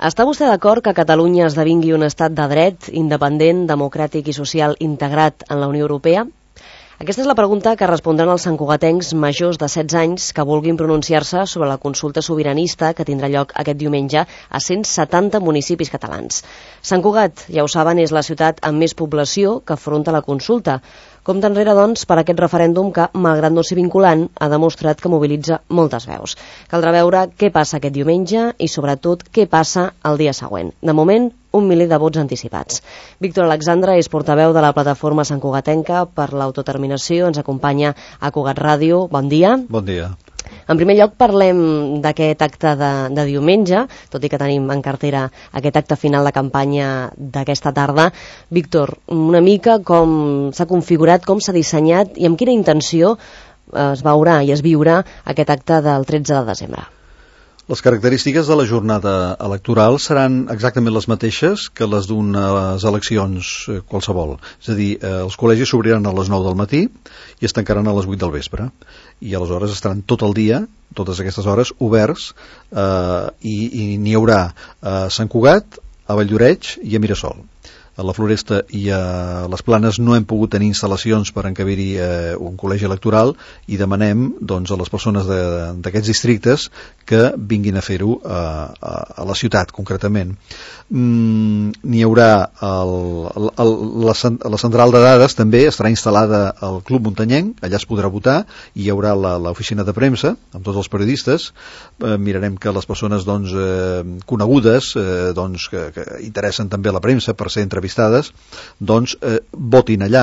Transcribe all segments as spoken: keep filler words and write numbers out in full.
Està vostè d'acord que Catalunya esdevingui un estat de dret, independent, democràtic i social integrat en la Unió Europea? Aquesta és la pregunta que respondran els santcugatencs majors de setze anys que vulguin pronunciar-se sobre la consulta sobiranista que tindrà lloc aquest diumenge a cent setanta municipis catalans. Sant Cugat, ja ho saben, és la ciutat amb més població que afronta la consulta. Compte enrere, doncs, per aquest referèndum que, malgrat no ser vinculant, ha demostrat que mobilitza moltes veus. Caldrà veure què passa aquest diumenge i, sobretot, què passa el dia següent. De moment, un miler de vots anticipats. Víctor Alexandre és portaveu de la plataforma santcugatenca per l'autodeterminació. Ens acompanya a Cugat Ràdio. Bon dia. Bon dia. En primer lloc, parlem d'aquest acte de, de diumenge, tot i que tenim en cartera aquest acte final de campanya d'aquesta tarda. Víctor, una mica com s'ha configurat, com s'ha dissenyat i amb quina intenció es veurà i es viurà aquest acte del tretze de desembre. Les característiques de la jornada electoral seran exactament les mateixes que les d'unes eleccions qualsevol. És a dir, els col·legis s'obriran a les nou del matí i es tancaran a les vuit del vespre. I aleshores estaran tot el dia, totes aquestes hores, oberts eh, i, i n'hi haurà a Sant Cugat, a Valldoreix i a Mirasol. A la Floresta i a les Planes no hem pogut tenir instal·lacions per encabir-hi eh, un col·legi electoral i demanem doncs, a les persones d'aquests districtes que vinguin a fer-ho a, a, a la ciutat, concretament. Mm, n'hi haurà el, el, la, la central de dades també estarà instal·lada al Club Muntanyenc, allà es podrà votar, i hi haurà l'oficina de premsa amb tots els periodistes. Eh, mirarem que les persones doncs, eh, conegudes eh, doncs, que, que interessen també a la premsa per ser entrevistades vistades, doncs eh, votin allà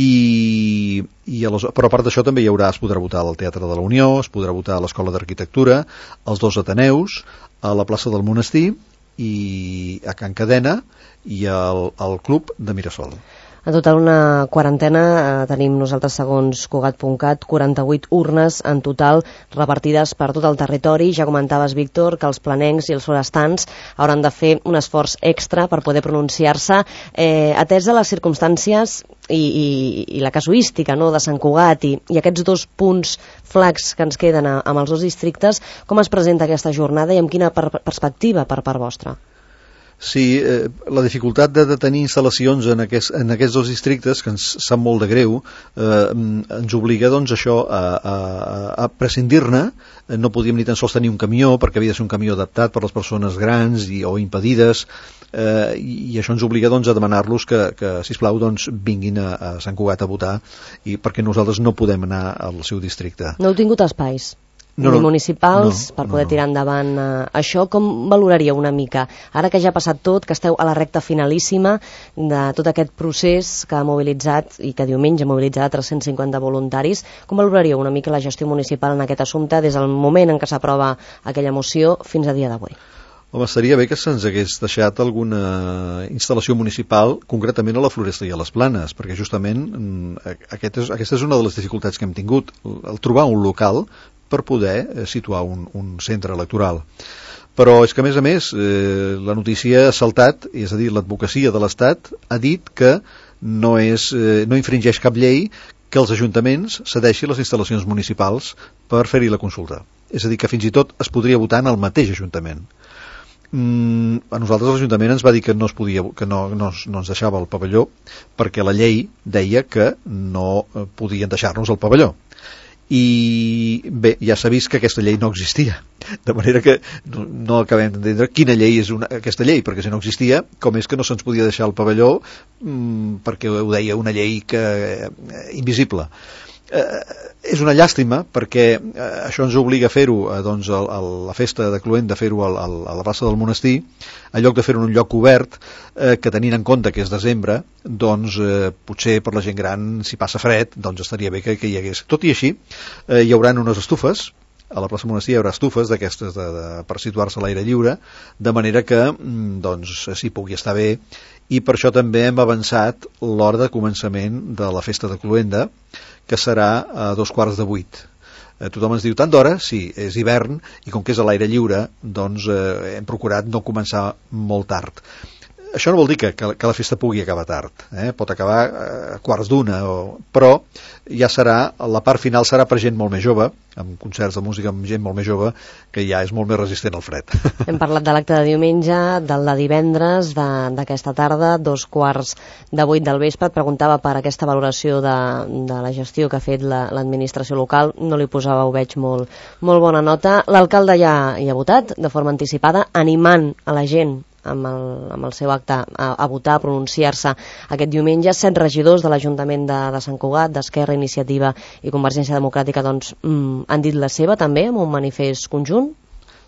i, i a les, però a part d'això també hi haurà, es podrà votar al Teatre de la Unió, es podrà votar a l'Escola d'Arquitectura, als dos Ateneus, a la plaça del Monestir i a Can Cadena i al, al Club de Mirasol. En total una quarantena, eh, tenim nosaltres segons Cugat punt cat, quaranta-vuit urnes en total repartides per tot el territori. Ja comentaves, Víctor, que els planencs i els forestans hauran de fer un esforç extra per poder pronunciar-se. Eh, atès a les circumstàncies i, i, i la casuística, no?, de Sant Cugat i, i aquests dos punts flacs que ens queden a, amb els dos districtes, com es presenta aquesta jornada i amb quina per perspectiva per part vostra? Sí, eh, la dificultat de, de tenir instal·lacions en aquests, en aquests dos districtes, que ens sap molt de greu, eh, ens obliga doncs això a, a, a prescindir-ne. No podíem ni tan sols tenir un camió, perquè havia de ser un camió adaptat per les persones grans i, o impedides, eh, i això ens obliga doncs, a demanar-los que, que sisplau, doncs, vinguin a, a Sant Cugat a votar, i perquè nosaltres no podem anar al seu districte. No heu tingut espais? No, no, municipals, no, per poder no, no. tirar endavant uh, això. Com valoraria una mica, ara que ja ha passat tot, que esteu a la recta finalíssima de tot aquest procés que ha mobilitzat i que diumenge ha mobilitzat tres-cents cinquanta voluntaris, com valoraria una mica la gestió municipal en aquest assumpte des del moment en què s'aprova aquella moció fins a dia d'avui? Home, estaria bé que se'ns hagués deixat alguna instal·lació municipal, concretament a la Floresta i a les Planes, perquè justament aquest és, aquesta és una de les dificultats que hem tingut, el trobar un local per poder situar un, un centre electoral. Però és que, a més a més, eh, la notícia ha saltat, és a dir, l'advocacia de l'Estat ha dit que no, és, eh, no infringeix cap llei que els ajuntaments cedeixin les instal·lacions municipals per fer-hi la consulta. És a dir, que fins i tot es podria votar en el mateix ajuntament. Mm, a nosaltres l'Ajuntament ens va dir que no es podia, que no, no, no ens deixava el pavelló perquè la llei deia que no podien deixar-nos el pavelló. I bé, ja s'ha vist que aquesta llei no existia, de manera que no, no acabem d'entendre quina llei és una, aquesta llei, perquè si no existia, com és que no se'ns podia deixar el pavelló mmm, perquè ho deia una llei que, eh, invisible. Eh, és una llàstima perquè eh, això ens obliga a fer-ho eh, doncs, a, a la festa de Cluent, de fer-ho a, a la plaça del Monestir, en lloc de fer-ho en un lloc obert, eh, que tenint en compte que és desembre, doncs eh, potser per la gent gran, si passa fred, doncs estaria bé que, que hi hagués. Tot i així, eh, hi haurà unes estufes, a la plaça Monestir hi haurà estufes d'aquestes de, de, per situar-se a l'aire lliure, de manera que doncs s'hi pugui estar bé, i per això també hem avançat l'hora de començament de la festa de Cluenda, que serà a dos quarts de vuit. Eh, tothom ens diu, tant d'hora? Sí, és hivern, i com que és a l'aire lliure, doncs eh, hem procurat no començar molt tard. això no vol dir que, que, que la festa pugui acabar tard, eh? Pot acabar a quarts d'una, o... però ja serà, la part final serà per gent molt més jove, amb concerts de música amb gent molt més jove, que ja és molt més resistent al fred. Hem parlat de l'acte de diumenge, del de divendres, d'aquesta tarda, dos quarts de vuit del vespre. Et preguntava per aquesta valoració de, de la gestió que ha fet l'administració la, local. No li posava, ho veig, molt, molt bona nota. L'alcalde ja hi ha votat de forma anticipada, animant a la gent amb el, amb el seu acte a, a votar, a pronunciar-se aquest diumenge. Set regidors de l'Ajuntament de, de Sant Cugat, d'Esquerra, Iniciativa i Convergència Democràtica, doncs, mm, han dit la seva també, amb un manifest conjunt.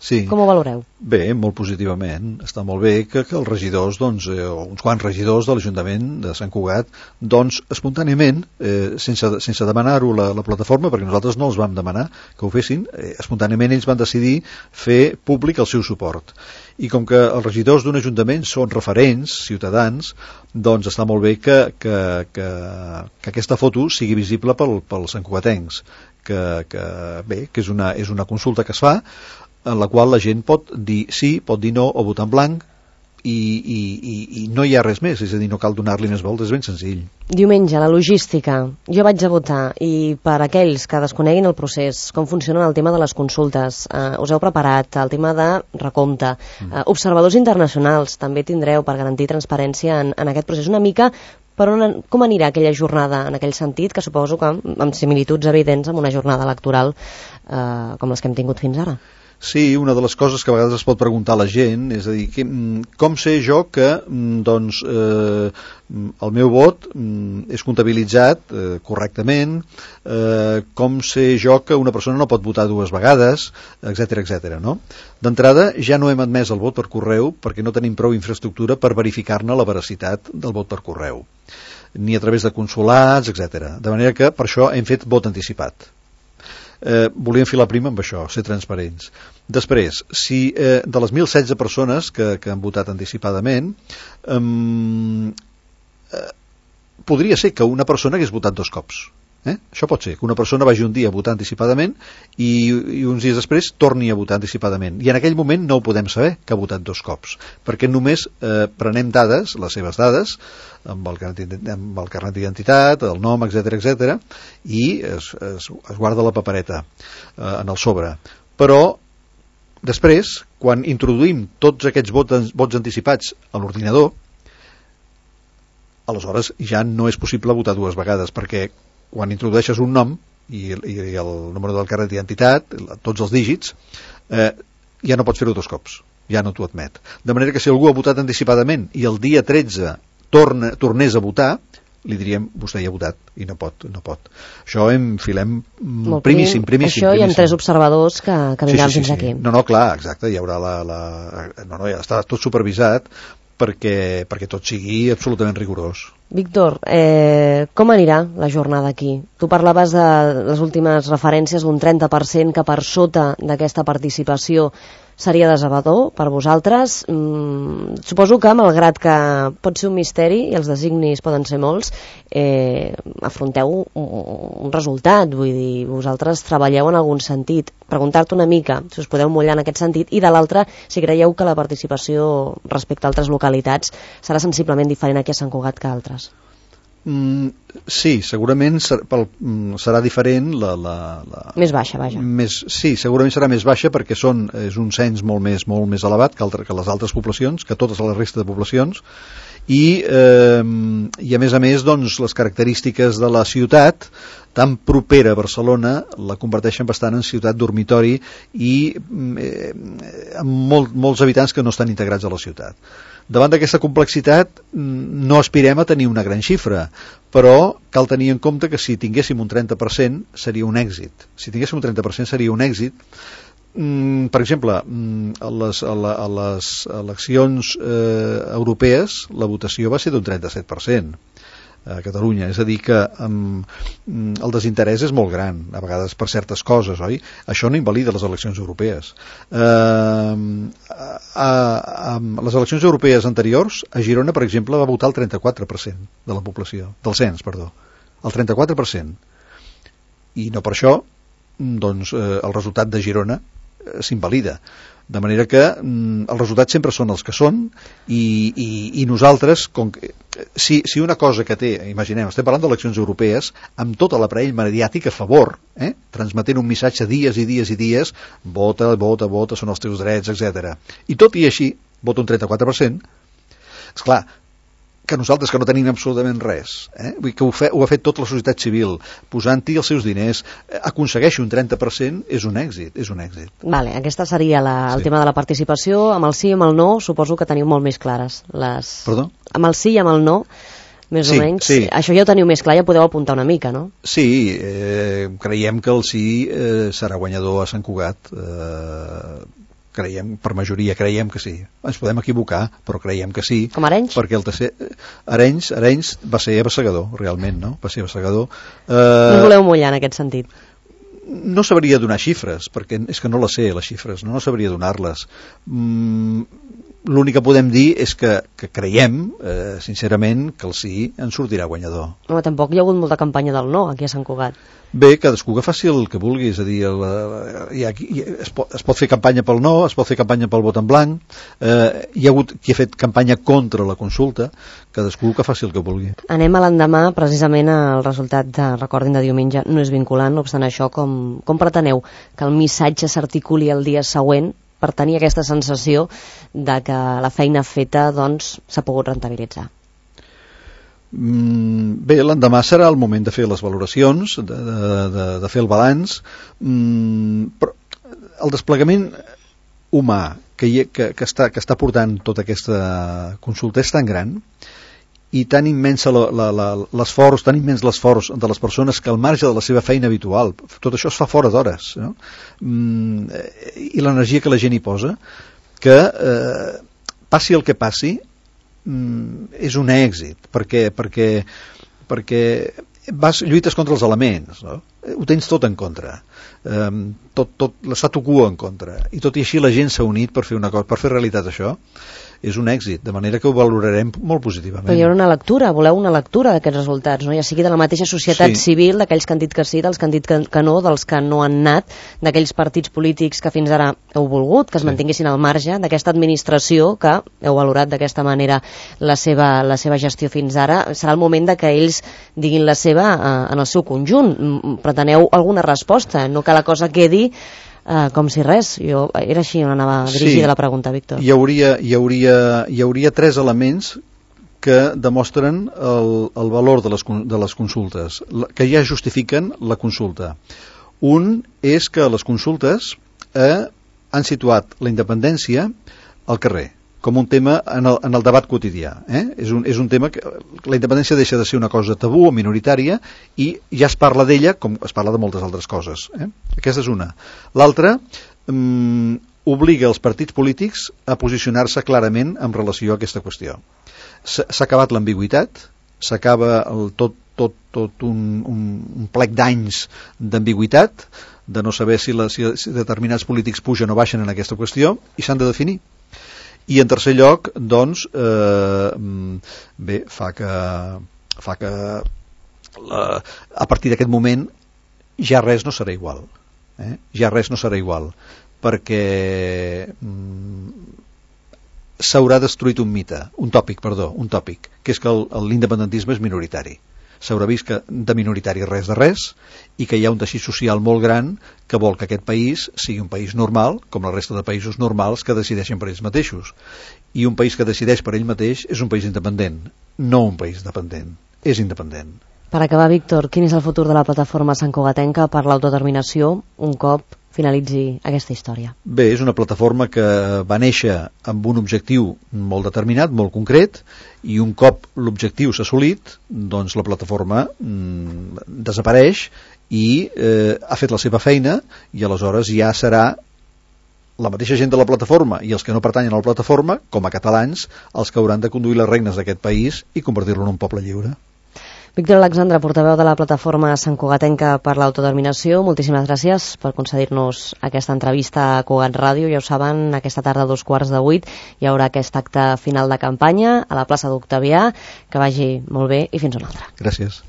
Sí. Com ho valoreu? Bé, molt positivament. Està molt bé que, que els regidors, doncs, eh, uns quants regidors de l'Ajuntament de Sant Cugat, doncs, espontàniament, eh, sense, sense demanar-ho la, la plataforma, perquè nosaltres no els vam demanar que ho fessin, eh, espontàniament ells van decidir fer públic el seu suport. I com que els regidors d'un ajuntament són referents, ciutadans, doncs està molt bé que, que, que, que aquesta foto sigui visible pel, pels santcugatencs, que, que, bé, que és una, és una consulta que es fa, en la qual la gent pot dir sí, pot dir no, o votar en blanc, i, i, i, i no hi ha res més, és a dir, no cal donar-li més voltes, és ben senzill. Diumenge, la logística. Jo vaig a votar, i per aquells que desconeguin el procés, com funciona el tema de les consultes, eh, us heu preparat el tema de recompte, eh, observadors internacionals també tindreu per garantir transparència en, en aquest procés. Una mica per on, com anirà aquella jornada en aquell sentit, que suposo que amb similituds evidents amb una jornada electoral eh, com les que hem tingut fins ara. Sí, una de les coses que a vegades es pot preguntar a la gent, és a dir, que, com sé jo que doncs, eh, el meu vot és comptabilitzat eh, correctament, eh, com sé jo que una persona no pot votar dues vegades, etcètera, etcètera, no? D'entrada, ja no hem admès el vot per correu perquè no tenim prou infraestructura per verificar-ne la veracitat del vot per correu, ni a través de consolats, etcètera. De manera que per això hem fet vot anticipat. Eh, volíem filar prima amb això, ser transparents. Després, si eh, de les mil setze persones que, que han votat anticipadament, eh, eh, podria ser que una persona hagués votat dos cops. Eh? Això pot ser, que una persona vagi un dia a votar anticipadament i, i uns dies després torni a votar anticipadament. I en aquell moment no ho podem saber, que ha votat dos cops, perquè només eh, prenem dades, les seves dades, amb el carnet, amb el carnet d'identitat, el nom, etcètera, etcètera, i es, es, es guarda la papereta eh, en el sobre. Però després, quan introduïm tots aquests vots, vots anticipats a l'ordinador, aleshores ja no és possible votar dues vegades, perquè quan introdueixes un nom i, i el número del carnet d'identitat, tots els dígits, eh, ja no pots fer-ho dos cops, ja no t'ho admet. De manera que si algú ha votat anticipadament i el dia tretze torna, tornés a votar, li diríem, vostè ja ha votat i no pot, no pot. Això en filem Molt primíssim, primíssim. Això primíssim. hi ha tres observadors que, que vindran sí, sí, sí, fins sí. aquí. No, no, clar, exacte, hi haurà la... la no, no, ja està tot supervisat perquè, perquè tot sigui absolutament rigorós. Víctor, eh, com anirà la jornada aquí? Tu parlaves de les últimes referències d'un trenta per cent que per sota d'aquesta participació seria decebedor per vosaltres. Mm, suposo que, malgrat que pot ser un misteri i els designis poden ser molts, eh, afronteu un, un resultat, vull dir, vosaltres treballeu en algun sentit. Preguntar-te una mica si us podeu mullar en aquest sentit, i de l'altra, si creieu que la participació respecte a altres localitats serà sensiblement diferent aquí a Sant Cugat que a altres. Mm, sí, segurament ser, pel, serà diferent la, la, la, més baixa, vaja més, sí, segurament serà més baixa perquè són, és un cens molt més, molt més elevat que, altre, que les altres poblacions, que totes les restes de poblacions, i, eh, i a més a més doncs, les característiques de la ciutat tan propera a Barcelona la converteixen bastant en ciutat dormitori i eh, amb molt, molts habitants que no estan integrats a la ciutat. Davant d'aquesta complexitat no aspirem a tenir una gran xifra, però cal tenir en compte que si tinguéssim un trenta per cent seria un èxit. Si tinguéssim un trenta per cent seria un èxit. Mm, per exemple, a les, a la, a les eleccions eh, europees la votació va ser d'un trenta-set per cent a Catalunya, és a dir que um, el desinterès és molt gran a vegades per certes coses, oi? Això no invalida les eleccions europees. Uh, a, a, a les eleccions europees anteriors, a Girona, per exemple, va votar el trenta-quatre per cent de la població, del cens, perdó, el trenta-quatre per cent, i no per això doncs, eh, el resultat de Girona s'invalida. De manera que mm, els resultats sempre són els que són i, i, i nosaltres, com que, si, si una cosa que té, imaginem, estem parlant d'eleccions europees, amb tot l'aparell mediàtic a favor, eh? transmetent un missatge dies i dies i dies, vota, vota, vota, són els teus drets, etcètera. I tot i així, vota un trenta-quatre per cent, esclar, que nosaltres que no tenim absolutament res, eh? Vull dir que ho, fe, ho ha fet tota la societat civil, posant-hi els seus diners, eh, aconsegueixi un trenta per cent, és un èxit, és un èxit. Vale, aquesta seria la, el sí. tema de la participació. Amb el sí i amb el no, suposo que teniu molt més clares les... Perdó? Amb el sí i amb el no, més sí, o menys, sí. això ja ho teniu més clar, ja podeu apuntar una mica, no? Sí, eh, creiem que el sí eh, serà guanyador a Sant Cugat, eh, creiem, per majoria creiem que sí. Ens podem equivocar, però creiem que sí. Com Arenys? Perquè el tercer... Arenys, Arenys va ser abassegador, realment, no? Va ser abassegador. Eh... No us voleu mullar en aquest sentit? No sabria donar xifres, perquè és que no les sé, les xifres, no, no sabria donar-les. Mm, l'únic que podem dir és que, que creiem, eh, sincerament, que el sí en sortirà guanyador. Home, tampoc hi ha hagut molta campanya del no aquí a Sant Cugat. Bé, cadascú que faci el que vulgui, és a dir, el, hi ha, hi, es, pot, es pot fer campanya pel no, es pot fer campanya pel vot en blanc, eh, hi ha hagut qui ha fet campanya contra la consulta, cadascú que faci el que vulgui. Anem a l'endemà, precisament el resultat, de, recordin, de diumenge no és vinculant, no obstant això, com, com preteneu que el missatge s'articuli el dia següent per tenir aquesta sensació de que la feina feta doncs s'ha pogut rentabilitzar? Bé, l'endemà serà el moment de fer les valoracions, de, de, de fer el balanç, però el desplegament humà que, hi, que, que, està, que està portant tota aquesta consulta és tan gran i tan immensa l'esforç, tan immens l'esforç de les persones que al marge de la seva feina habitual, tot això es fa fora d'hores, no? I l'energia que la gent hi posa, que eh, passi el que passi, és un èxit perquè, perquè, perquè vas, lluites contra els elements, no? Ho tens tot en contra, um, tot, tot l'statu quo en contra, i tot i així la gent s'ha unit per fer una cosa, per fer realitat això. És un èxit, de manera que ho valorarem molt positivament. Però hi haurà una lectura, voleu una lectura d'aquests resultats, no? Ja sigui de la mateixa societat sí. civil, d'aquells que han dit que sí, dels que han dit que, que no, dels que no han anat, d'aquells partits polítics que fins ara heu volgut, que es sí. mantinguessin al marge, d'aquesta administració que heu valorat d'aquesta manera la seva, la seva gestió fins ara. Serà el moment de que ells diguin la seva eh, en el seu conjunt. Preteneu alguna resposta, no que la cosa quedi Uh, com si res. Jo, era així on anava dirigida sí, la pregunta, Víctor. Hi hauria, hi, hauria, hi hauria tres elements que demostren el, el valor de les, de les consultes, que ja justifiquen la consulta. Un és que les consultes eh, han situat la independència al carrer, com un tema en el, en el debat quotidià. Eh? És, un, és un tema que la independència deixa de ser una cosa tabú o minoritària i ja es parla d'ella com es parla de moltes altres coses. Eh? Aquesta és una. L'altra mm, obliga els partits polítics a posicionar-se clarament en relació a aquesta qüestió. S'ha acabat l'ambigüitat, s'acaba tot, tot, tot un, un, un plec d'anys d'ambigüitat, de no saber si, la, si, si determinats polítics pugen o baixen en aquesta qüestió, i s'han de definir. I en tercer lloc, doncs, eh, bé, fa que, fa que la, a partir d'aquest moment ja res no serà igual. Eh? Ja res no serà igual, perquè mm, s'haurà destruït un mite, un tòpic, perdó, un tòpic, que és que l'independentisme és minoritari. S'haurà vist que de minoritari res de res i que hi ha un teixit social molt gran que vol que aquest país sigui un país normal, com la resta de països normals que decideixen per ells mateixos. I un país que decideix per ell mateix és un país independent, no un país dependent, és independent. Per acabar, Víctor, quin és el futur de la plataforma santcugatenca per l'autodeterminació un cop finalitzi aquesta història? Bé, és una plataforma que va néixer amb un objectiu molt determinat, molt concret, i un cop l'objectiu s'ha assolit, doncs la plataforma mm, desapareix i eh, ha fet la seva feina i aleshores ja serà la mateixa gent de la plataforma i els que no pertanyen a la plataforma, com a catalans, els que hauran de conduir les regnes d'aquest país i convertir-lo en un poble lliure. Víctor Alexandre, portaveu de la plataforma santcugatenca per l'autodeterminació, moltíssimes gràcies per concedir-nos aquesta entrevista a Cugat Ràdio. Ja ho saben, aquesta tarda a dos quarts de vuit hi haurà aquest acte final de campanya a la plaça d'Octavià. Que vagi molt bé i fins una altra. Gràcies.